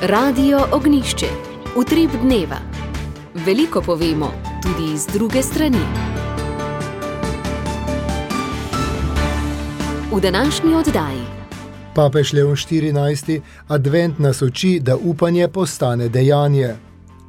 Radio Ognjišče. Utrip dneva. Veliko povemo, tudi iz druge strani. V današnji oddaji. Papež Leon XIV. Advent nas uči, da upanje postane dejanje.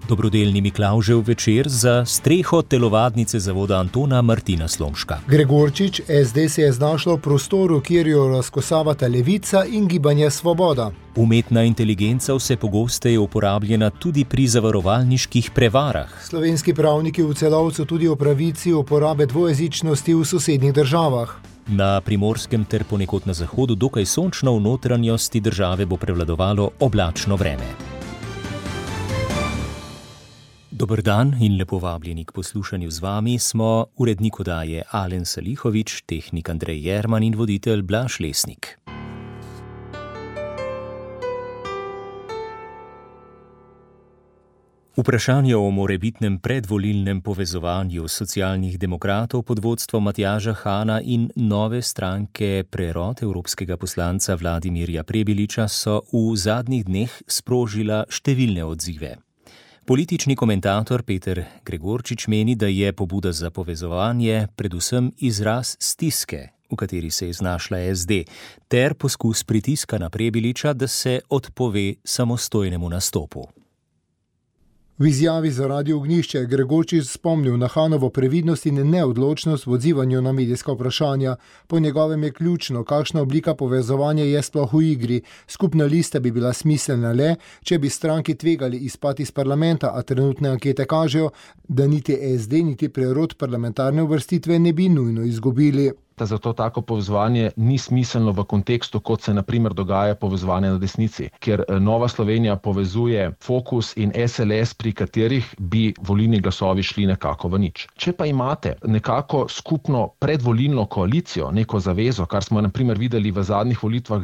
Dobrodelni Miklavžev večer za streho telovadnice zavoda Antona Martina Slomška. Gregorčič, SD se je znašlo v prostoru, kjer jo razkosavata Levica in Gibanje Svoboda. Umetna inteligenca vse pogosteje uporabljena tudi pri zavarovalniških prevarah. Slovenski pravniki v Celovcu tudi o pravici uporabe dvojezičnosti v sosednjih državah. Na Primorskem ter ponekod na zahodu dokaj sončno, v notranjosti države bo prevladovalo oblačno vreme. Dober dan in lepo vabljeni k poslušanju z vami smo urednik oddaje Alen Salihovič, tehnik Andrej Jerman in voditelj Blaž Lesnik. Vprašanje o morebitnem predvolilnem povezovanju socialnih demokratov pod vodstvom Matjaža Hana in nove stranke Prerod evropskega poslanca Vladimirja Prebiliča so v zadnjih dneh sprožila številne odzive. Politični komentator Peter Gregorčič meni, da je pobuda za povezovanje predvsem izraz stiske, v kateri se je znašla SD, ter poskus pritiska na Prebiliča, da se odpove samostojnemu nastopu. V izjavi za Radio Ognjišče je Gregorčič spomnil na Hanovo previdnost in neodločnost v odzivanju na medijska vprašanja. Po njegovem je ključno, kakšna oblika povezovanja je sploh v igri. Skupna lista bi bila smiselna le, če bi stranki tvegali izpad iz parlamenta, a trenutne ankete kažejo, da niti SD, niti Prerod parlamentarne uvrstitve ne bi nujno izgubili. Zato tako povezovanje ni smiselno v kontekstu, kot se na primer dogaja povezovanje na desnici, kjer Nova Slovenija povezuje Fokus in SLS, pri katerih bi volilni glasovi šli nekako v nič. Če pa imate nekako skupno predvolilno koalicijo, neko zavezo, kar smo na primer videli v zadnjih volitvah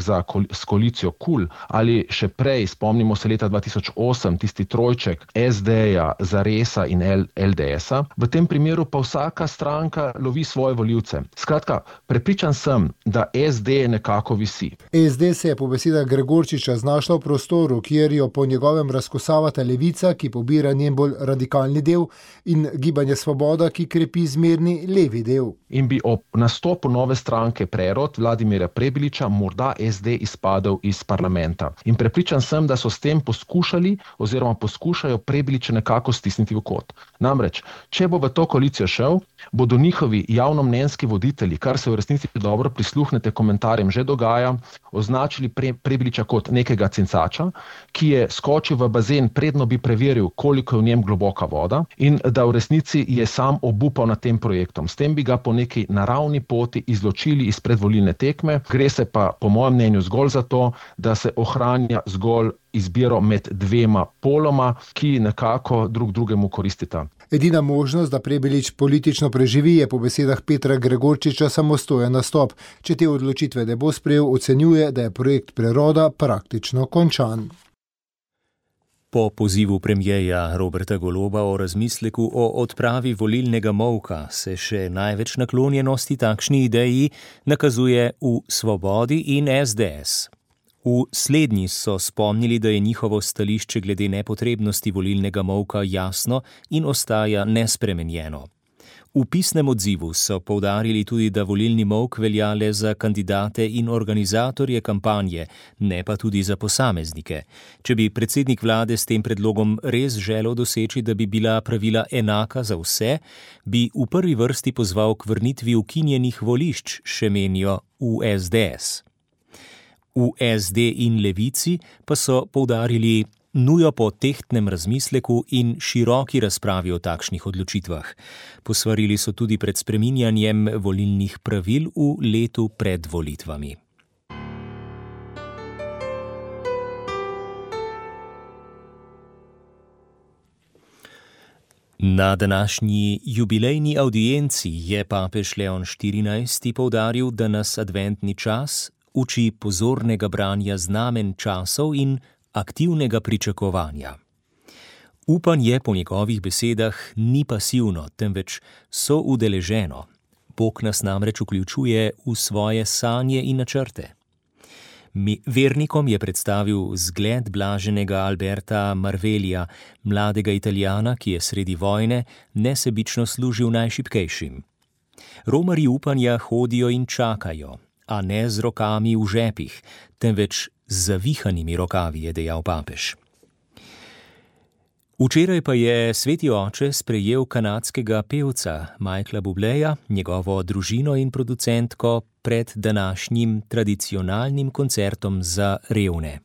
s koalicijo KUL ali še prej, spomnimo se leta 2008, tisti trojček SD-ja, Zaresa in LDS-a, v tem primeru pa vsaka stranka lovi svoje volivce. Skratka, prepričan sem, da SD nekako visi. SD se je po besedah Gregorčiča znašla v prostoru, kjer jo po njegovem razkosavata Levica, ki pobira njen bolj radikalni del, in Gibanje Svoboda, ki krepi zmerni levi del. In bi ob nastopu nove stranke Prerod Vladimirja Prebiliča morda SD izpadel iz parlamenta. In prepričan sem, da so s tem poskušajo Prebiliča nekako stisniti v kot. Namreč, če bo v to koalicijo šel, bodo njihovi javnomnenjski voditelji, kar se v resnici dobro prisluhnete komentarjem že dogaja, označili Prebiliča kot nekega cincača, ki je skočil v bazen, predno bi preveril, koliko je v njem globoka voda, in da v resnici je sam obupal nad tem projektom. S tem bi ga po neki naravni poti izločili iz predvolilne tekme. Gre se pa po mojem mnenju zgolj za to, da se ohranja zgolj izbiro med dvema poloma, ki nekako drug drugemu koristita. Edina možnost, da Prebilič politično preživi, je po besedah Petra Gregorčiča samostojen nastop. Če te odločitve ne bo sprejel, ocenjuje, da je projekt Preroda praktično končan. Po pozivu premierja Roberta Goloba o razmisleku o odpravi volilnega molka se še največ naklonjenosti takšni ideji nakazuje v Svobodi in SDS. V slednji so spomnili, da je njihovo stališče glede nepotrebnosti volilnega molka jasno in ostaja nespremenjeno. V pisnem odzivu so poudarili tudi, da volilni molk velja le za kandidate in organizatorje kampanje, ne pa tudi za posameznike. Če bi predsednik vlade s tem predlogom res želel doseči, da bi bila pravila enaka za vse, bi v prvi vrsti pozval k vrnitvi ukinjenih volišč, še menijo v SDS. V SD in Levici pa so poudarili nujo po tehtnem razmisleku in široki razpravi o takšnih odločitvah. Posvarili so tudi pred spreminjanjem volilnih pravil v letu pred volitvami. Na današnji jubilejni audienci je papež Leon XIV. Poudaril, da nas adventni čas uči pozornega branja znamen časov in aktivnega pričakovanja. Upanje po njegovih besedah ni pasivno, temveč soudeleženo. Bog nas namreč vključuje v svoje sanje in načrte. Vernikom je predstavil zgled blaženega Alberta Marvelija, mladega Italijana, ki je sredi vojne nesebično služil najšibkejšim. Romarji upanja hodijo in čakajo, a ne z rokami v žepih, temveč z zavihanimi rokavi, je dejal papež. Včeraj pa je sveti oče sprejel kanadskega pevca Michaela Bubleja, njegovo družino in producentko pred današnjim tradicionalnim koncertom za revne.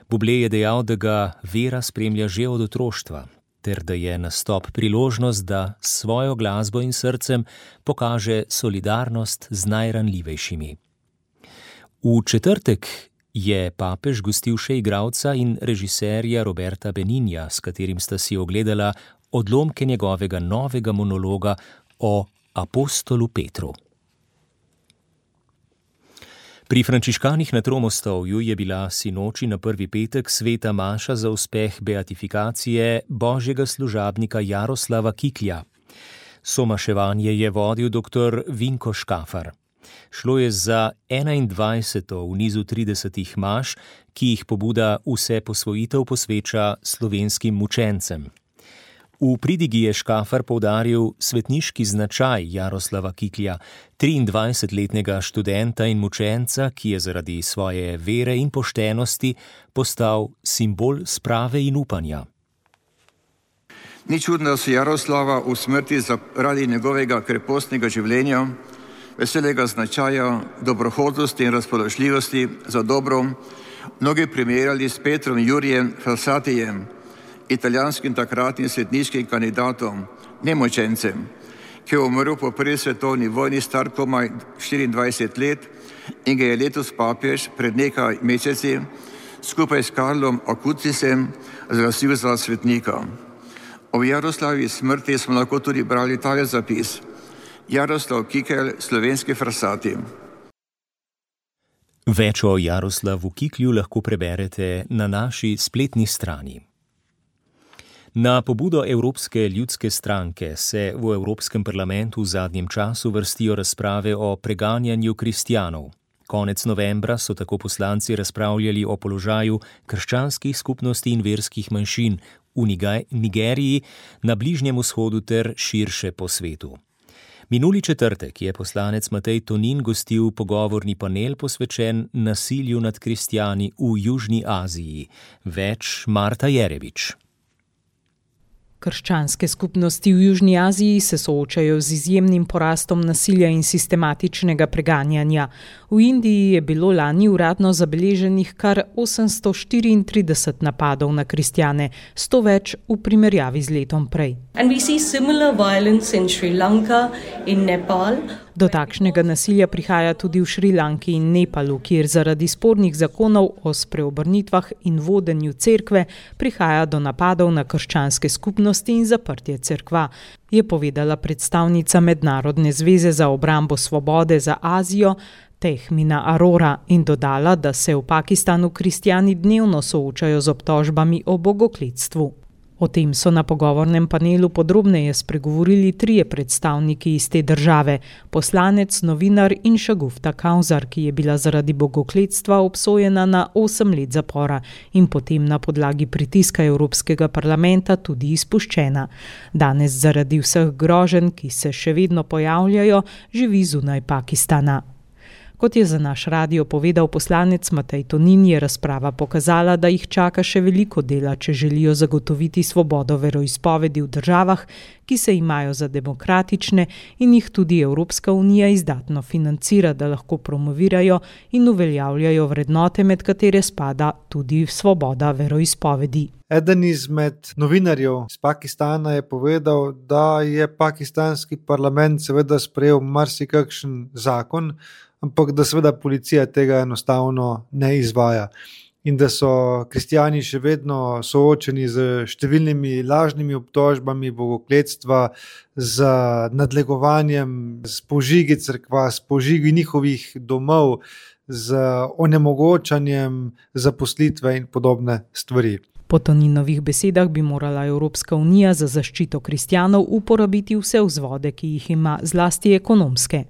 Bublé je dejal, da ga vera spremlja že od otroštva, ter da je nastop priložnost, da s svojo glasbo in srcem pokaže solidarnost z najranljivejšimi. V četrtek je papež gostil še igralca in režiserja Roberta Beninja, s katerim sta si ogledala odlomke njegovega novega monologa o apostolu Petru. Pri frančiškanih na Tromostovju je bila sinoči na prvi petek sveta maša za uspeh beatifikacije božjega služabnika Jaroslava Kiklja. Somaševanje je vodil dr. Vinko Škafar. Šlo je za 21. v nizu 30 maš, ki jih pobuda Vse posvojitev posveča slovenskim mučencem. V pridigi je Škafar poudaril svetniški značaj Jaroslava Kiklja, 23-letnega študenta in mučenca, ki je zaradi svoje vere in poštenosti postal simbol sprave in upanja. Ni čudno, da so Jaroslava v smrti zaradi njegovega krepostnega življenja, veselega značaja, dobrohotnosti in razpoložljivosti za dobro mnogi primerjali s Petrom Jurijem Frassatijem, italijanskim takratnim svetniškim kandidatom, nemučencem, ki je umrl po prvi svetovni vojni star komaj 24 let in ga je letos papež pred nekaj meseci skupaj s Karlom Acutisem razglasil za svetnika. O Jaroslavi smrti smo lahko tudi brali tale zapis: Jaroslav Kikelj, slovenski Frassati. Več o Jaroslavu Kiklju lahko preberete na naši spletni strani. Na pobudo Evropske ljudske stranke se v Evropskem parlamentu v zadnjem času vrstijo razprave o preganjanju kristjanov. Konec novembra so tako poslanci razpravljali o položaju krščanskih skupnosti in verskih manjšin v Nigeriji, na Bližnjem vzhodu ter širše po svetu. Minuli četrtek je poslanec Matej Tonin gostil pogovorni panel posvečen nasilju nad kristjani v Južni Aziji. Več Marta Jerevič. Krščanske skupnosti v Južni Aziji se soočajo z izjemnim porastom nasilja in sistematičnega preganjanja. V Indiji je bilo lani uradno zabeleženih kar 834 napadov na kristjane, 100 več v primerjavi z letom prej. And we see similar violence in Sri Lanka, in Nepal. Do takšnega nasilja prihaja tudi v Šrilanki in Nepalu, kjer zaradi spornih zakonov o spreobrnitvah in vodenju cerkve prihaja do napadov na krščanske skupnosti in zaprtje cerkva, je povedala predstavnica Mednarodne zveze za obrambo svobode za Azijo Tehmina Arora in dodala, da se v Pakistanu kristjani dnevno soočajo z obtožbami o bogokletstvu. O tem so na pogovornem panelu podrobneje spregovorili trije predstavniki iz te države, poslanec, novinar in Šagufta Kausar, ki je bila zaradi bogokletstva obsojena na 8 let zapora in potem na podlagi pritiska Evropskega parlamenta tudi izpuščena. Danes zaradi vseh groženj, ki se še vedno pojavljajo, živi zunaj Pakistana. Kot je za naš radio povedal poslanec Matej Tonin, je razprava pokazala, da jih čaka še veliko dela, če želijo zagotoviti svobodo veroizpovedi v državah, ki se imajo za demokratične in jih tudi Evropska unija izdatno financira, da lahko promovirajo in uveljavljajo vrednote, med katere spada tudi svoboda veroizpovedi. Eden izmed novinarjev iz Pakistana je povedal, da je pakistanski parlament seveda sprejel marsikakšen zakon, ampak da seveda policija tega enostavno ne izvaja in da so kristjani še vedno soočeni z številnimi lažnimi obtožbami bogokletstva, z nadlegovanjem, s požigi cerkva, s požigi njihovih domov, z onemogočanjem zaposlitve in podobne stvari. Po Toninovih besedah bi morala Evropska unija za zaščito kristjanov uporabiti vse vzvode, ki jih ima, zlasti ekonomske.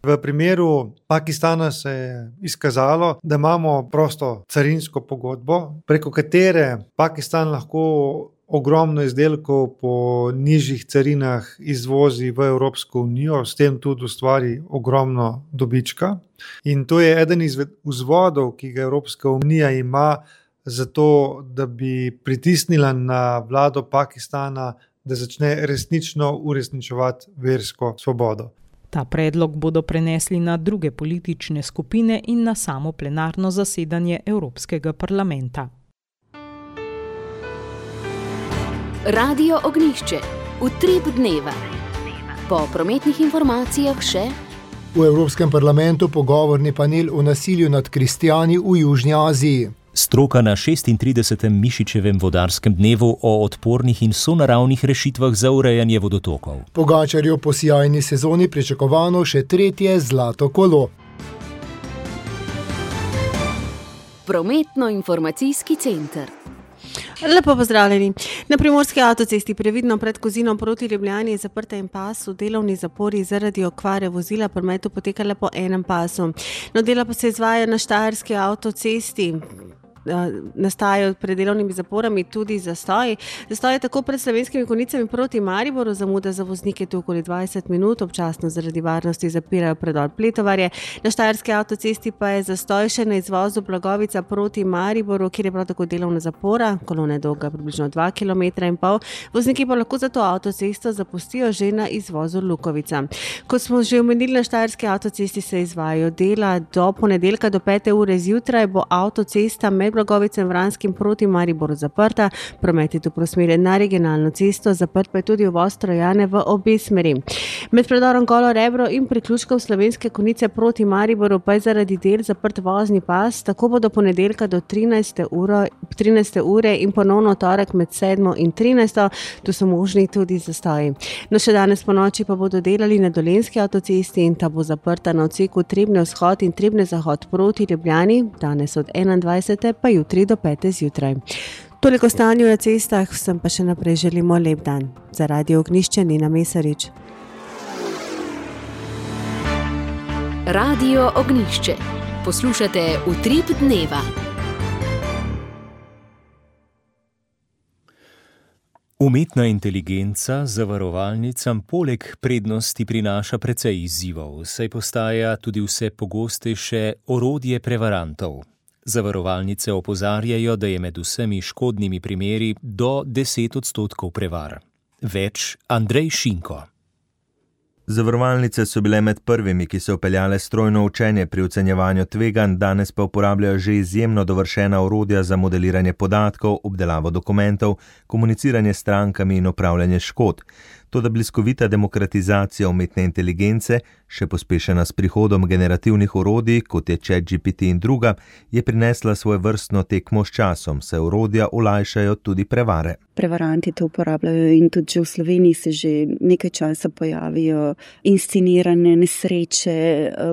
V primeru Pakistana se je izkazalo, da imamo prosto carinsko pogodbo, preko katere Pakistan lahko ogromno izdelkov po nižjih carinah izvozi v Evropsko unijo, s tem tudi ustvari ogromno dobička. In to je eden izmed vzvodov, ki ga Evropska unija ima za to, da bi pritisnila na vlado Pakistana, da začne resnično uresničevati versko svobodo. Ta predlog bodo prenesli na druge politične skupine in na samo plenarno zasedanje Evropskega parlamenta. Radio Ognjišče. Utrip dneva. Po prometnih informacijah še: v Evropskem parlamentu pogovorni panel o nasilju nad kristjani v Južni Aziji. Stroka na 36. Mišičevem vodarskem dnevu o odpornih in sonaravnih rešitvah za urejanje vodotokov. Pogačarju po sijajni sezoni pričakovano še 3. zlato kolo. Prometno-informacijski center. Lepo pozdravljeni. Na primorski avtocesti previdno pred Kozinom proti Ljubljani je zaprta en pas, v delovni zapori zaradi okvare vozila prometu poteka le po enem pasu. No, dela pa se izvaja na štajerski avtocesti. Nastajajo pred delovnimi zaporami tudi zastoji. Zastoj je tako pred Slovenskimi Konjicami proti Mariboru, zamuda za voznike tu okoli 20 minut, občasno zaradi varnosti zapirajo predor Pletovarje. Na štajerski avtocesti pa je zastoj še na izvozu Blagovica proti Mariboru, kjer je prav tako delovna zapora, kolona je dolga približno 2,5 km. Vozniki pa lahko za to avtocesto zapustijo že na izvozu Lukovica. Kot smo že omenili, na štajerski avtocesti se izvajajo dela. Do ponedeljka do 5. ure zjutraj bo avtocesta med Blagovicem Vranskim proti Mariboru zaprta, promet je tu preusmerjen na regionalno cesto, zaprt pa je tudi uvoz Trojane v obe smeri. Med predorom Golo Rebro in priključkom Slovenske Konjice proti Mariboru pa je zaradi del zaprt vozni pas, tako bo do ponedeljka do 13. ure in ponovno torek med 7. in 13. Tu so možni tudi zastoji. No, še danes po noči pa bodo delali na Dolenjski avtocesti in ta bo zaprta na odseku Trebnje vzhod in Trebnje zahod proti Ljubljani, danes od 21. pa jutri do 5. zjutraj. Toliko stanju na cestah, vsem pa še naprej želimo lep dan. Za Radio Ognjišče Nina Mesarič. Radio Ognjišče. Poslušate Utrip dneva. Umetna inteligenca zavarovalnicam poleg prednosti prinaša precej izzivov, saj postaja tudi vse pogostejše orodje prevarantov. Zavarovalnice opozarjajo, da je med vsemi škodnimi primeri do 10% prevar. Več Andrej Šinko. Zavarovalnice so bile med prvimi, ki so vpeljale strojno učenje pri ocenjevanju tveganj, danes pa uporabljajo že izjemno dovršena orodja za modeliranje podatkov, obdelavo dokumentov, komuniciranje s strankami in upravljanje škod. Toda bliskovita demokratizacija umetne inteligence, še pospešena s prihodom generativnih orodij, kot je ChatGPT in druga, je prinesla svoj vrstno tekmo s časom, saj orodja olajšajo tudi prevare. Prevaranti to uporabljajo in tudi že v Sloveniji se že nekaj časa pojavijo inscenirane nesreče,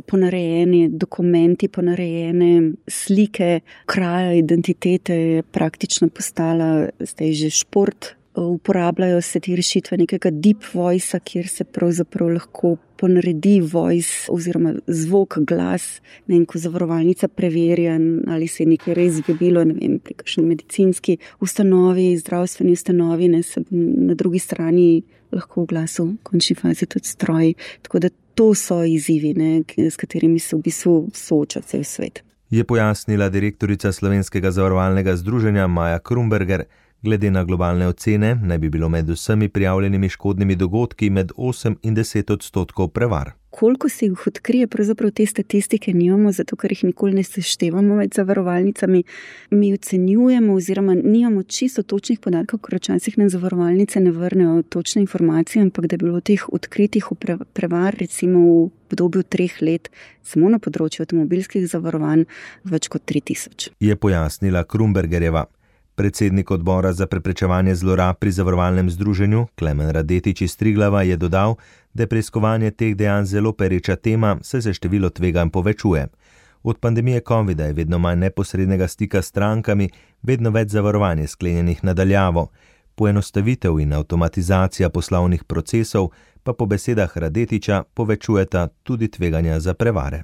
ponarejene dokumenti, ponarejene slike, kraja identitete je praktično postala zdaj že šport. Uporabljajo se te rešitve nekega deep voice-a, kjer se pravzaprav lahko ponaredi voice oziroma zvok, glas, ko zavarovalnica preverja, ali se je nekaj res zgodilo, pri kakšni medicinski ustanovi, zdravstveni ustanovi, se na drugi strani lahko v glasu v končni fazi tudi stroj. Tako da to so izzivi, s katerimi se v bistvu sooča cel svet. Je pojasnila direktorica Slovenskega zavarovalnega združenja Maja Krumberger. Glede na globalne ocene naj bi bilo med vsemi prijavljenimi škodnimi dogodki med 8 in 10% prevar. Koliko se jih odkrije, pravzaprav te statistike nimamo, zato ker jih nikoli ne seštevamo med zavarovalnicami. Mi ocenjujemo oziroma nimamo čisto točnih podatkov, ker včasih nam zavarovalnice ne vrnejo točne informacije, ampak da je bilo teh odkritih prevar recimo v obdobju 3 let samo na področju avtomobilskih zavarovanj več kot 3000. Je pojasnila Krumbergerjeva. Predsednik odbora za preprečevanje zlorab pri zavarovalnem združenju, Klemen Radetič iz Triglava, je dodal, da je preiskovanje teh dejanj zelo pereča tema, saj se število tveganj povečuje. Od pandemije covida je vedno manj neposrednega stika s strankami, vedno več zavarovanj je sklenjenih na daljavo. Poenostavitev in avtomatizacija poslovnih procesov pa po besedah Radetiča povečujeta tudi tveganja za prevare.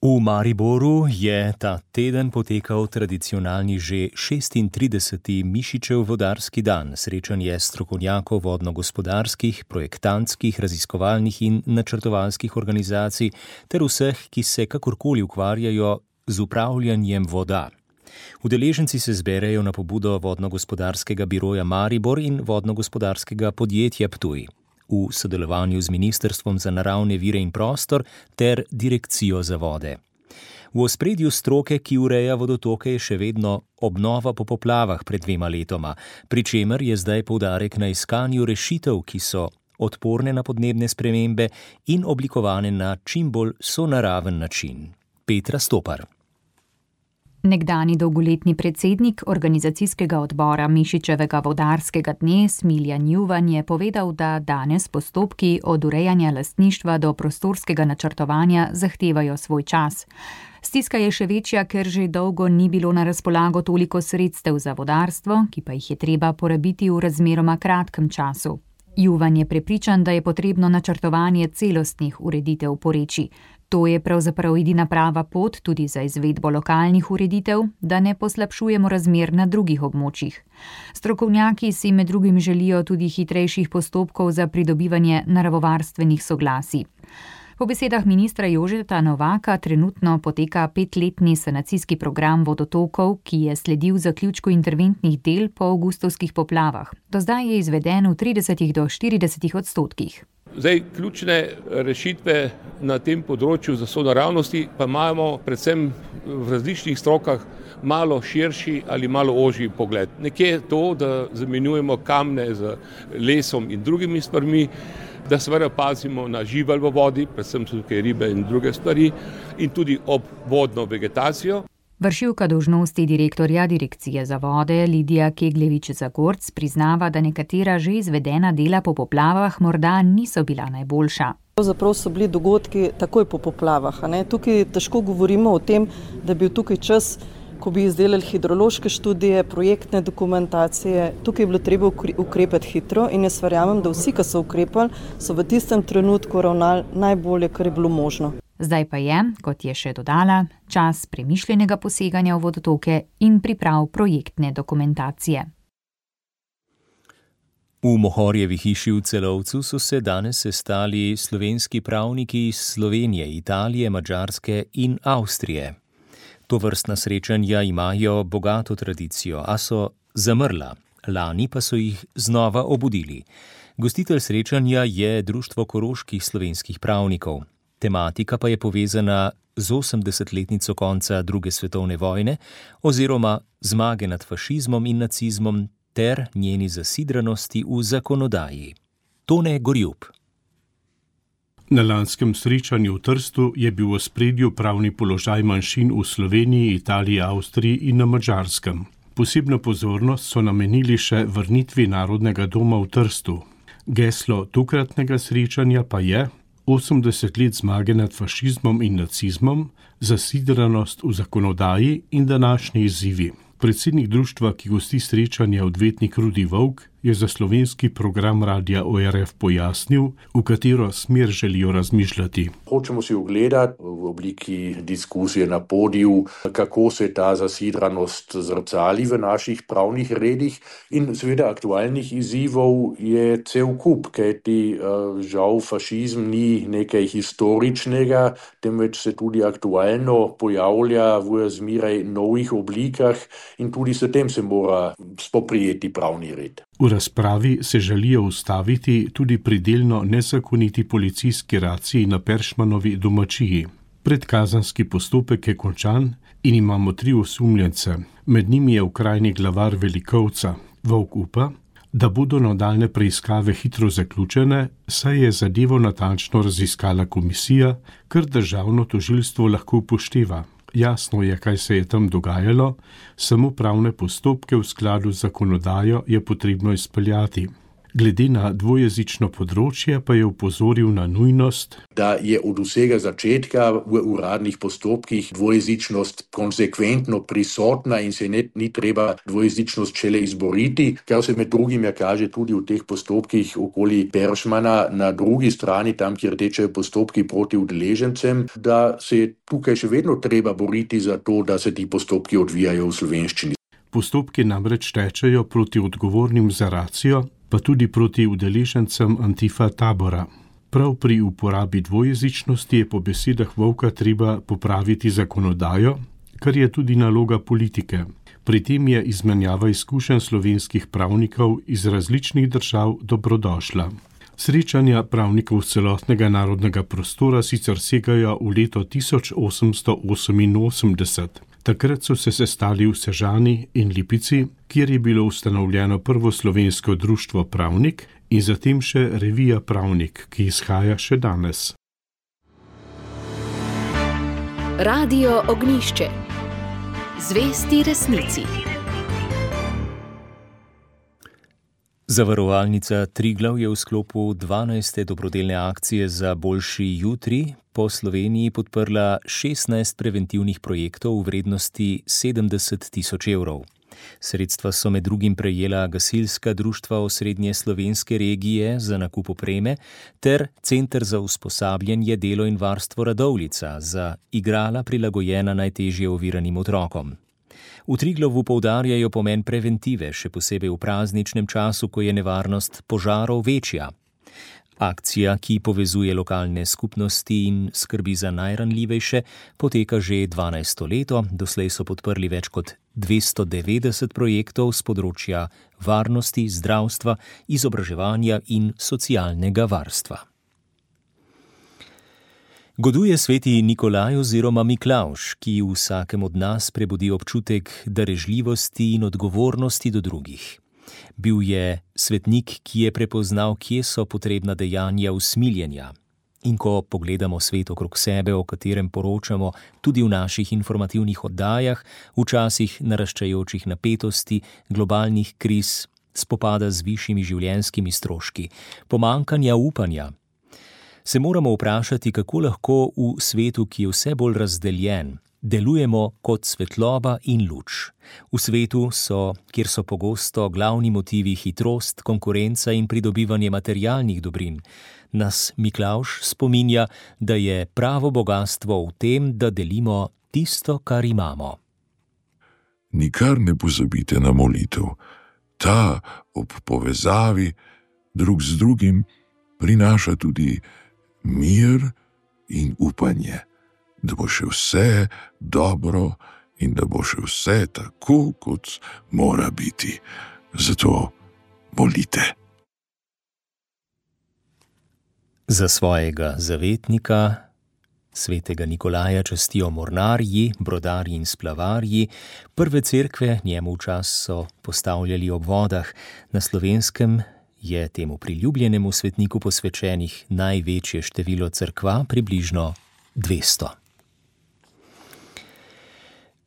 V Mariboru je ta teden potekal tradicionalni že 36. Mišičev vodarski dan, srečanje strokovnjakov vodno-gospodarskih, projektantskih, raziskovalnih in načrtovalskih organizacij ter vseh, ki se kakorkoli ukvarjajo z upravljanjem voda. Udeleženci se zberejo na pobudo vodno-gospodarskega biroja Maribor in vodno-gospodarskega podjetja Ptuj v sodelovanju z Ministrstvom za naravne vire in prostor ter Direkcijo za vode. V ospredju stroke, ki ureja vodotoke, je še vedno obnova po poplavah pred 2 letoma, pri čemer je zdaj poudarek na iskanju rešitev, ki so odporne na podnebne spremembe in oblikovane na čim bolj sonaraven način. Petra Stopar. Nekdani dolgoletni predsednik organizacijskega odbora Mišičevega vodarskega dne Smiljan Juvan je povedal, da danes postopki od urejanja lastništva do prostorskega načrtovanja zahtevajo svoj čas. Stiska je še večja, ker že dolgo ni bilo na razpolago toliko sredstev za vodarstvo, ki pa jih je treba porabiti v razmeroma kratkem času. Juvan je prepričan, da je potrebno načrtovanje celostnih ureditev porečij. To je pravzaprav edina prava pot tudi za izvedbo lokalnih ureditev, da ne poslabšujemo razmer na drugih območjih. Strokovnjaki si med drugim želijo tudi hitrejših postopkov za pridobivanje naravovarstvenih soglasij. Po besedah ministra Jožeta Novaka trenutno poteka 5-letni sanacijski program vodotokov, ki je sledil zaključku interventnih del po avgustovskih poplavah. Do zdaj je izveden v 30 do 40%. Zdaj, ključne rešitve na tem področju za sonaravnosti pa imamo predvsem v različnih strokah malo širši ali malo ožji pogled. Nekje je to, da zamenjujemo kamne z lesom in drugimi stvarmi, da seveda pazimo na žival v vodi, predvsem tukaj ribe in druge stvari, in tudi ob vodno vegetacijo. Vršilka dolžnosti direktorja Direkcije za vode Lidija Kegljevič-Zagorc priznava, da nekatera že izvedena dela po poplavah morda niso bila najboljša. Pravzaprav so bili dogodki takoj po poplavah. Tukaj težko govorimo o tem, da bi bil tukaj čas, ko bi izdelali hidrološke študije, projektne dokumentacije. Tukaj je bilo treba ukrepati hitro in jaz verjamem, da vsi, ki so ukrepali, so v tistem trenutku ravnali najbolje, kar je bilo možno. Zdaj pa je, kot je še dodala, čas premišljenega poseganja v vodotoke in priprav projektne dokumentacije. V Mohorjevi hiši v Celovcu so se danes sestali slovenski pravniki iz Slovenije, Italije, Madžarske in Avstrije. Tovrstna srečanja imajo bogato tradicijo, a so zamrla. Lani pa so jih znova obudili. Gostitelj srečanja je Društvo koroških slovenskih pravnikov. Tematika pa je povezana z 80-letnico konca druge svetovne vojne oziroma zmage nad fašizmom in nacizmom ter njeni zasidranosti v zakonodaji. Tone Gorjub. Na lanskem srečanju v Trstu je bil v ospredju pravni položaj manjšin v Sloveniji, Italiji, Avstriji in na Madžarskem. Posebno pozornost so namenili še vrnitvi Narodnega doma v Trstu. Geslo tokratnega srečanja pa je 80 let zmage nad fašizmom in nacizmom, zasidranost v zakonodaji in današnji izzivi. Predsednik društva, ki gosti srečanje, odvetnik Rudi Volk, je za slovenski program Radia ORF pojasnil, v katero smer želijo razmišljati. Hočemo si ogledati v obliki diskusije na podiju, kako se ta zasidranost zrcali v naših pravnih redih in seveda aktualnih izzivov je cel kup, kajti žal fašizm ni nekaj historičnega, temveč se tudi aktualno pojavlja v zmeraj novih oblikah in tudi s tem se mora spoprijeti pravni red. V razpravi se želijo ustaviti tudi pri delno nezakoniti policijski raciji na Peršmanovi domačiji. Predkazanski postopek je končan in imamo 3 osumljence. Med njimi je okrajni glavar Velikovca. Volk upa, da bodo nadaljne preiskave hitro zaključene, saj je zadevo natančno raziskala komisija, kar državno tožilstvo lahko upošteva. Jasno je, kaj se je tam dogajalo, samo pravne postopke v skladu z zakonodajo je potrebno izpeljati. Glede na dvojezično področje pa je opozoril na nujnost, da je od vsega začetka v uradnih postopkih dvojezičnost konsekventno prisotna in se ni treba dvojezičnost šele izboriti, kar se med drugim kaže tudi v teh postopkih okoli Peršmana na drugi strani, tam, kjer tečejo postopki proti udeležencem, da se je tukaj še vedno treba boriti za to, da se ti postopki odvijajo v slovenščini. Postopki namreč tečejo proti odgovornim za racijo, pa tudi proti udeležencem Antifa tabora. Prav pri uporabi dvojezičnosti je po besedah Vovka treba popraviti zakonodajo, kar je tudi naloga politike. Pri tem je izmenjava izkušenj slovenskih pravnikov iz različnih držav dobrodošla. Srečanja pravnikov z celotnega narodnega prostora sicer segajo v leto 1888. Takrat so se sestali v Sežani in Lipici, kjer je bilo ustanovljeno prvo slovensko društvo Pravnik in zatem še revija Pravnik, ki izhaja še danes. Radio Ognjišče. Zvesti resnici. Zavarovalnica Triglav je v sklopu 12. dobrodelne akcije za boljši jutri po Sloveniji podprla 16 preventivnih projektov v vrednosti 70 000 evrov. Sredstva so med drugim prejela gasilska društva osrednje slovenske regije za nakup opreme ter Center za usposabljanje, delo in varstvo Radovljica za igrala prilagojena najtežje oviranim otrokom. V Triglavu poudarjajo pomen preventive, še posebej v prazničnem času, ko je nevarnost požarov večja. Akcija, ki povezuje lokalne skupnosti in skrbi za najranljivejše, poteka že 12. leto. Doslej so podprli več kot 290 projektov z področja varnosti, zdravstva, izobraževanja in socialnega varstva. Goduje sveti Nikolaj oziroma Miklavž, ki v vsakem od nas prebudi občutek darežljivosti in odgovornosti do drugih. Bil je svetnik, ki je prepoznal, kje so potrebna dejanja usmiljenja. In ko pogledamo svet okrog sebe, o katerem poročamo tudi v naših informativnih oddajah, v časih naraščajočih napetosti, globalnih kriz, spopada z višjimi življenjskimi stroški, pomanjkanja upanja, se moramo vprašati, kako lahko v svetu, ki je vse bolj razdeljen, delujemo kot svetloba in luč. V svetu, kjer so pogosto glavni motivi hitrost, konkurenca in pridobivanje materialnih dobrin, nas Miklavž spominja, da je pravo bogastvo v tem, da delimo tisto, kar imamo. Nikar ne pozabite na molitev. Ta ob povezavi drug z drugim prinaša tudi mir in upanje, da bo še vse dobro in da bo še vse tako, kot mora biti. Zato molite. Za svojega zavetnika, svetega Nikolaja, častijo mornarji, brodarji in splavarji. Prve cerkve njemu v čas so postavljali ob vodah. Na Slovenskem je temu priljubljenemu svetniku posvečenih največje število cerkva, približno 200.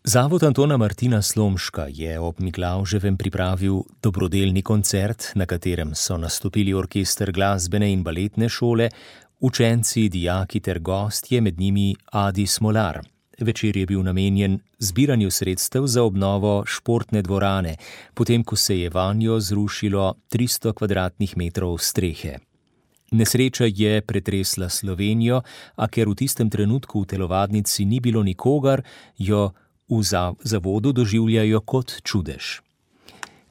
Zavod Antona Martina Slomška je ob Miklavževem pripravil dobrodelni koncert, na katerem so nastopili orkester glasbene in baletne šole, učenci, dijaki ter gostje, med njimi Adi Smolar. Večer je bil namenjen zbiranju sredstev za obnovo športne dvorane, potem ko se je vanjo zrušilo 300 kvadratnih metrov strehe. Nesreča je pretresla Slovenijo, a ker v tistem trenutku v telovadnici ni bilo nikogar, jo v zavodu doživljajo kot čudež.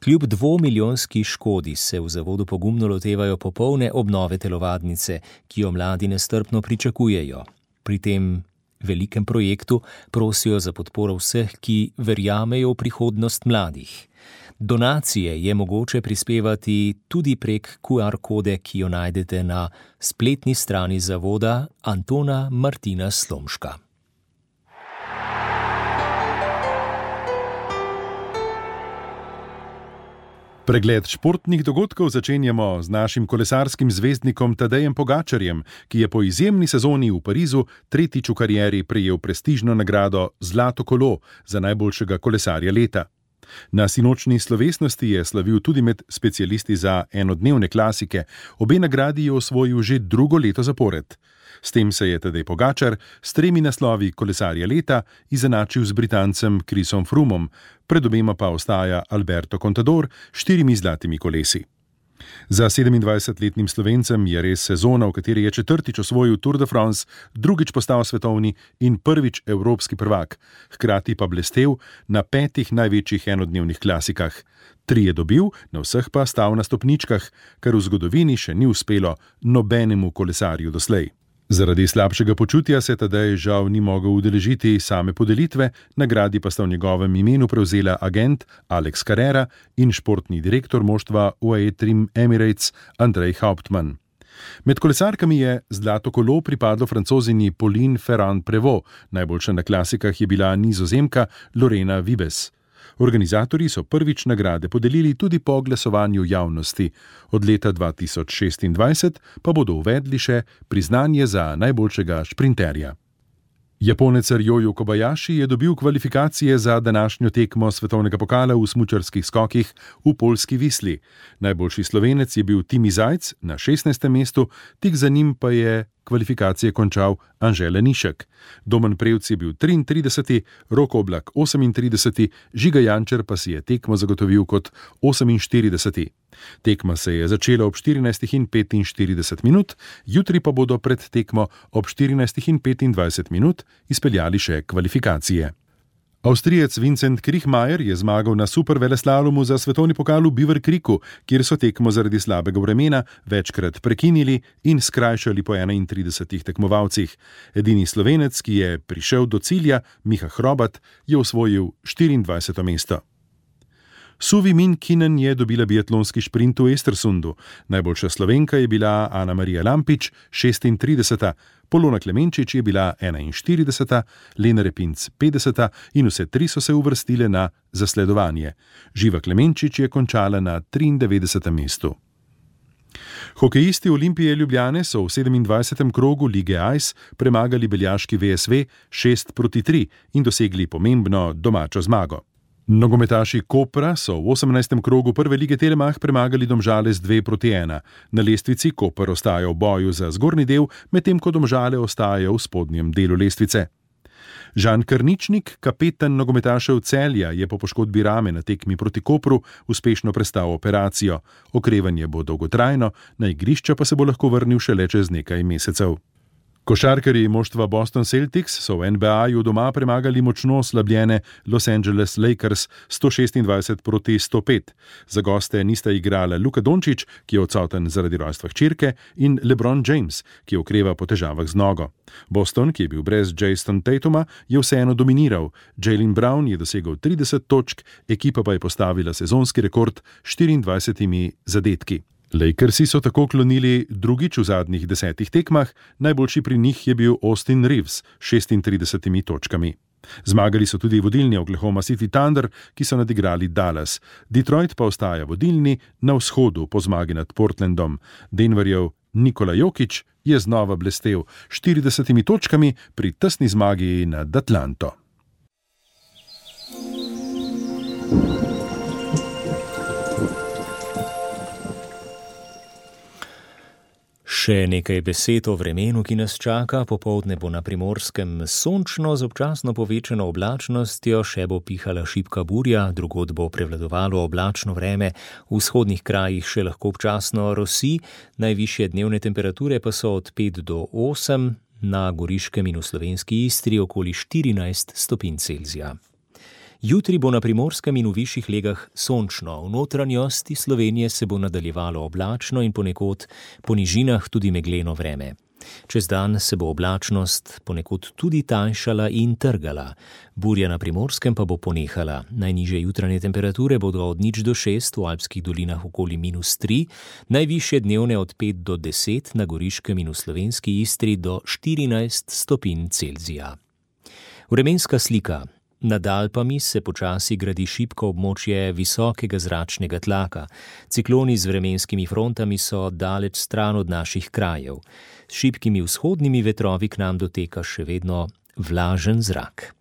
Kljub 2-milijonski škodi se v zavodu pogumno lotevajo popolne obnove telovadnice, ki jo mladi nestrpno pričakujejo. Pri tem velikem projektu prosijo za podporo vseh, ki verjamejo v prihodnost mladih. Donacije je mogoče prispevati tudi prek QR kode, ki jo najdete na spletni strani zavoda Antona Martina Slomška. Pregled športnih dogodkov začenjamo z našim kolesarskim zvezdnikom Tadejem Pogačarjem, ki je po izjemni sezoni v Parizu tretjič v karieri prejel prestižno nagrado Zlato kolo za najboljšega kolesarja leta. Na sinočni slovesnosti je slavil tudi med specialisti za enodnevne klasike, obe nagradi je osvojil že drugo leto zapored. S tem se je Tadej Pogačar s 3 naslovi kolesarja leta izenačil z Britancem Chrisom Froomom, pred obema pa ostaja Alberto Contador s 4 zlatimi kolesi. Za 27-letnim Slovencem je res sezona, v kateri je 4. osvojil Tour de France, 2. postal svetovni in 1. evropski prvak, hkrati pa blestev na 5 največjih enodnevnih klasikah. 3 je dobil, na vseh pa stal na stopničkah, kar v zgodovini še ni uspelo nobenemu kolesarju doslej. Zaradi slabšega počutja se Tadej žal ni mogel udeležiti same podelitve, nagradi pa sta v njegovem imenu prevzela agent Alex Carrera in športni direktor moštva UAE Trim Emirates Andrej Hauptmann. Med kolesarkami je zlato kolo pripadlo Francozini Pauline Ferrand-Prévot, najboljša na klasikah je bila Nizozemka Lorena Wiebes. Organizatorji so prvič nagrade podelili tudi po glasovanju javnosti. Od leta 2026 pa bodo uvedli še priznanje za najboljšega šprinterja. Japonec Ryoyu Kobayashi je dobil kvalifikacije za današnjo tekmo svetovnega pokala v smučarskih skokih v poljski Visli. Najboljši Slovenec je bil Timi Zajc na 16. mestu, tik za njim pa je kvalifikacije končal Anže Lenišek. Domen Prevc je bil 33., Rok Oblak 38., Žiga Jančar pa si je tekmo zagotovil kot 48. Tekma se je začela ob 14:45, jutri pa bodo pred tekmo ob 14:25 izpeljali še kvalifikacije. Avstrijec Vincent Kriechmayer je zmagal na superveleslalomu za svetovni pokal v Beaver Creeku, kjer so tekmo zaradi slabega vremena večkrat prekinili in skrajšali po 31 tekmovalcih. Edini Slovenec, ki je prišel do cilja, Miha Hrobat, je osvojil 24. mesto. Suvi Min Kinen je dobila biatlonski šprint v Estersundu. Najboljša Slovenka je bila Ana Marija Lampič, 36. Polona Klemenčič je bila 41., Lena Repinc 50. in vse 3 so se uvrstile na zasledovanje. Živa Klemenčič je končala na 93. mestu. Hokejisti Olimpije Ljubljane so v 27. krogu lige Ice premagali beljaški VSV 6-3 in dosegli pomembno domačo zmago. Nogometaši Kopra so v 18. krogu prve lige Telemach premagali Domžale z 2-1. Na lestvici Koper ostaja v boju za zgornji del, medtem ko Domžale ostajajo v spodnjem delu lestvice. Žan Krničnik, kapetan nogometašev Celja, je po poškodbi rame na tekmi proti Kopru uspešno prestal operacijo. Okrevanje bo dolgotrajno, na igrišča pa se bo lahko vrnil šele čez nekaj mesecev. Košarkarji moštva Boston Celtics so v NBA-ju doma premagali močno oslabljene Los Angeles Lakers 126-105. Za goste nista igrala Luka Dončić, ki je odsoten zaradi rojstva hčerke, in LeBron James, ki okreva po težavah z nogo. Boston, ki je bil brez Jason Tatuma, je vseeno dominiral. Jaylen Brown je dosegel 30 točk, ekipa pa je postavila sezonski rekord 24 zadetki. Lakersi so tako klonili drugič v zadnjih 10 tekmah, najboljši pri njih je bil Austin Reeves s 36 točkami. Zmagali so tudi vodilni Oklahoma City Thunder, ki so nadigrali Dallas. Detroit pa ostaja vodilni na vzhodu po zmagi nad Portlandom. Denverjev Nikola Jokić je znova blestel s 40 točkami pri tesni zmagi nad Atlanto. Še nekaj besed o vremenu, ki nas čaka. Popoldne bo na Primorskem sončno z občasno povečano oblačnostjo, še bo pihala šibka burja, drugod bo prevladovalo oblačno vreme, v vzhodnih krajih še lahko občasno rosi, najvišje dnevne temperature pa so od 5 do 8, na Goriškem in v slovenski Istri okoli 14 stopinj Celzija. Jutri bo na Primorskem in v višjih legah sončno, v notranjosti Slovenije se bo nadaljevalo oblačno in ponekod po nižinah tudi megleno vreme. Čez dan se bo oblačnost ponekod tudi tanjšala in trgala. Burja na Primorskem pa bo ponehala. Najnižje jutranje temperature bodo od 0 do 6, v alpskih dolinah okoli -3, najvišje dnevne od 5 do 10, na Goriškem in v slovenski Istri do 14 stopinj Celzija. Vremenska slika. Nad Alpami se počasi gradi šibko območje visokega zračnega tlaka. Cikloni z vremenskimi frontami so daleč stran od naših krajev. S šibkimi vzhodnimi vetrovi k nam doteka še vedno vlažen zrak.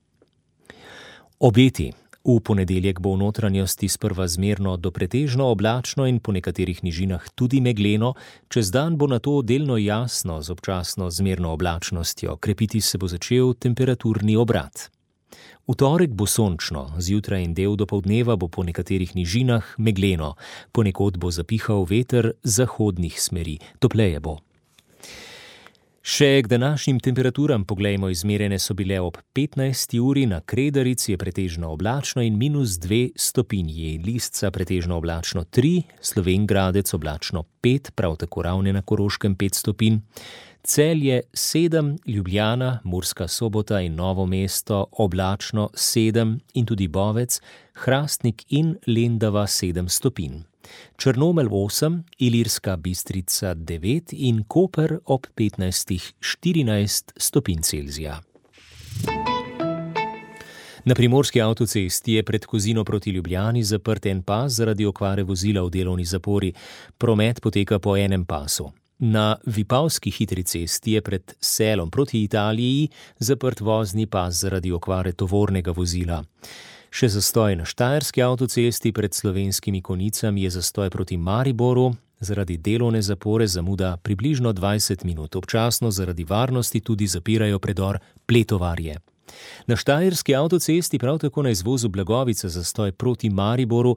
Obeti. V ponedeljek bo v notranjosti sprva zmerno do pretežno oblačno in po nekaterih nižinah tudi megleno, čez dan bo nato delno jasno z občasno zmerno oblačnostjo, krepiti se bo začel temperaturni obrat. V torek bo sončno, zjutraj in del dopoldneva bo po nekaterih nižinah megleno, ponekod bo zapihal veter zahodnih smeri, topleje bo. Še k današnjim temperaturam poglejmo, izmerjene so bile ob 15. uri, na Kredarici je pretežno oblačno in -2 stopinji, Lisca pretežno oblačno 3, Slovenj Gradec oblačno 5, prav tako Ravne na Koroškem 5 stopinj, Celje 7, Ljubljana, Murska Sobota in Novo mesto oblačno 7 in tudi Bovec, Hrastnik in Lendava 7 stopinj. Črnomelj 8, Ilirska Bistrica 9 in Koper ob 15-14 stopinj Celzija. Na primorski avtocesti je pred Kozino proti Ljubljani zaprt en pas zaradi okvare vozila v delovni zapori. Promet poteka po enem pasu. Na Vipavski hitri cesti je pred Selom proti Italiji zaprt vozni pas zaradi okvare tovornega vozila. Še zastoj na Štajerski avtocesti pred Slovenskimi Konicami je zastoj proti Mariboru, zaradi delovne zapore zamuda približno 20 minut. Občasno zaradi varnosti tudi zapirajo predor Pletovarje. Na Štajerski avtocesti prav tako na izvozu Blagovica zastoj proti Mariboru.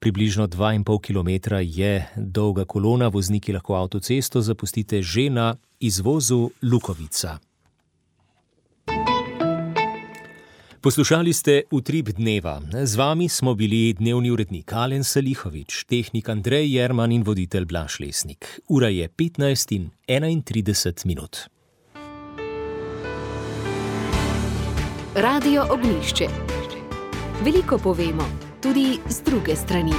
Približno 2,5 km je dolga kolona, vozniki lahko avtocesto zapustite že na izvozu Lukovica. Poslušali ste Utrip dneva. Z vami smo bili dnevni urednik Alen Salihovič, tehnik Andrej Jerman in voditelj Blaž Lesnik. Ura je 15:31 minut. Radio Ognjišče. Veliko povemo, tudi z druge strani.